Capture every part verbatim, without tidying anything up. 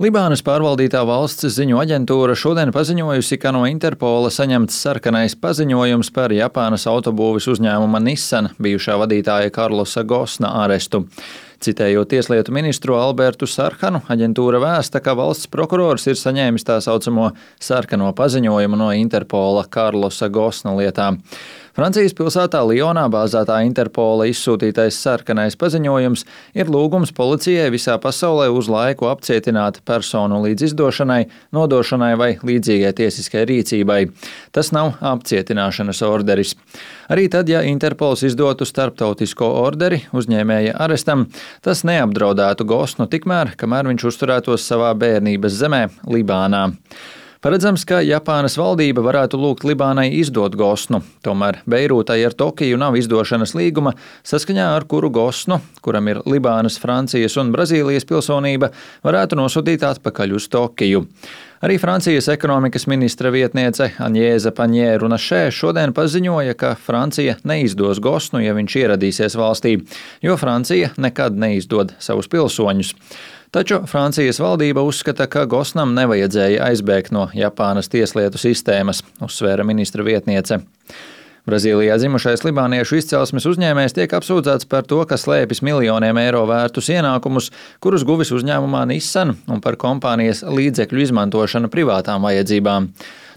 Libānas pārvaldītā valsts ziņu aģentūra šodien paziņojusi, ka no Interpola saņemts sarkanais paziņojums par Japānas autobūves uzņēmuma Nissan bijušā vadītāja Karlosa Gosna arestu. Citējot tieslietu ministru Albertu Sarkanu, aģentūra vēsta, ka valsts prokurors ir saņēmis tā saucamo sarkano paziņojumu no Interpola Karlosa Gosna lietā. Francijas pilsētā Lionā bāzētā Interpola izsūtītais sarkanais paziņojums ir lūgums policijai visā pasaulē uz laiku apcietināt personu līdz izdošanai, nodošanai vai līdzīgai tiesiskai rīcībai. Tas nav apcietināšanas orderis. Arī tad, ja Interpols izdotu starptautisko orderi uzņēmēja arestam, tas neapdraudētu Gosnu tikmēr, kamēr viņš uzturētos savā bērnības zemē, Libānā. Paredzams, ka Japānas valdība varētu lūgt Libānai izdot Gosnu, tomēr Beirūtai ar Tokiju nav izdošanas līguma, saskaņā ar kuru Gosnu, kuram ir Libānas, Francijas un Brazīlijas pilsonība, varētu nosūtīt atpakaļ uz Tokiju. Arī Francijas ekonomikas ministra vietniece Aņēza Paņē-Runašē šodien paziņoja, ka Francija neizdos Gosnu, ja viņš ieradīsies valstī, jo Francija nekad neizdod savus pilsoņus. Taču Francijas valdība uzskata, ka Gosnam nevajadzēja aizbēgt no Japānas tieslietu sistēmas, uzsvēra ministra vietniece. Brazīlijā dzimušais libāniešu izcelsmes uzņēmējs tiek apsūdzēts par to, ka slēpis miljoniem eiro vērtus ienākumus, kurus guvis uzņēmumā Nissan, un par kompānijas līdzekļu izmantošanu privātām vajadzībām.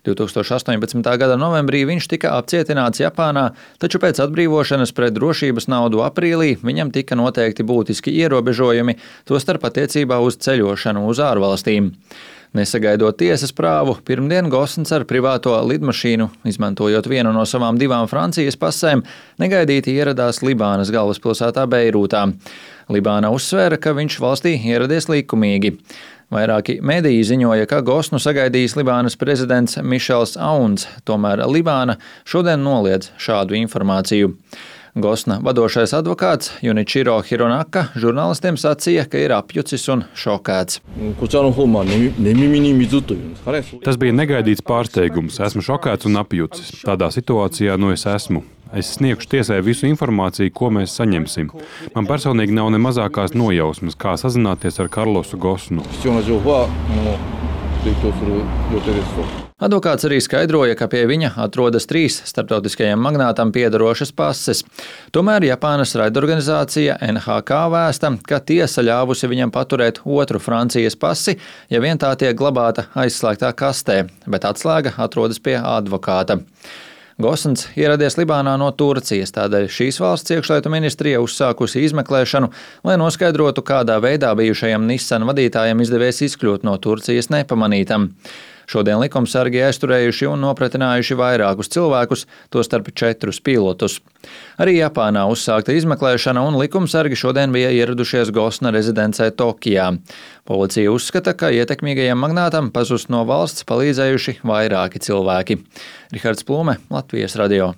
divtūkstoš astoņpadsmitā gada novembrī viņš tika apcietināts Japānā, taču pēc atbrīvošanas pret drošības naudu aprīlī viņam tika noteikti būtiski ierobežojumi, tostarp attiecībā uz ceļošanu uz ārvalstīm. Nesagaidot tiesas prāvu, pirmdien Gosns ar privāto lidmašīnu, izmantojot vienu no savām divām Francijas pasēm, negaidīti ieradās Libānas galvaspilsētā Beirūtā. Libāna uzsvēra, ka viņš valstī ieradies likumīgi. Vairāki mediji ziņoja, ka Gosnu sagaidījis Libānas prezidents Mišels Auns, tomēr Libāna šodien noliedz šādu informāciju. Gosna vadošais advokāts Junichiro Hironaka žurnālistiem sacīja, ka ir apjucis un šokēts. Tas bija negaidīts pārsteigums. Esmu šokēts un apjucis. Tādā situācijā nu es esmu. Es sniegšu tiesai visu informāciju, ko mēs saņemsim. Man personīgi nav ne mazākās nojausmas, kā sazināties ar Karlosu Gosnu. Advokāts arī skaidroja, ka pie viņa atrodas trīs starptautiskajiem magnātam piederošas pases. Tomēr Japānas raidorganizācija N H K vēsta, ka tiesa ļāvusi viņam paturēt otru Francijas pasi, ja vien tā tiek glabāta aizslēgtā kastē, bet atslēga atrodas pie advokāta. Gosns ieradies Libānā no Turcijas, tādēļ šīs valsts iekšlietu ministrija uzsākusi izmeklēšanu, lai noskaidrotu, kādā veidā bijušajam Nissan vadītājam izdevies izkļūt no Turcijas nepamanītam. Šodien likumsargi aizturējuši un nopratinājuši vairākus cilvēkus, tostarp četrus pilotus. Arī Japānā uzsākta izmeklēšana un likumsargi šodien bija ieradušies Gosna rezidencē Tokijā. Policija uzskata, ka ietekmīgajam magnātam pazust no valsts palīdzējuši vairāki cilvēki. Rihards Plūme, Latvijas radio.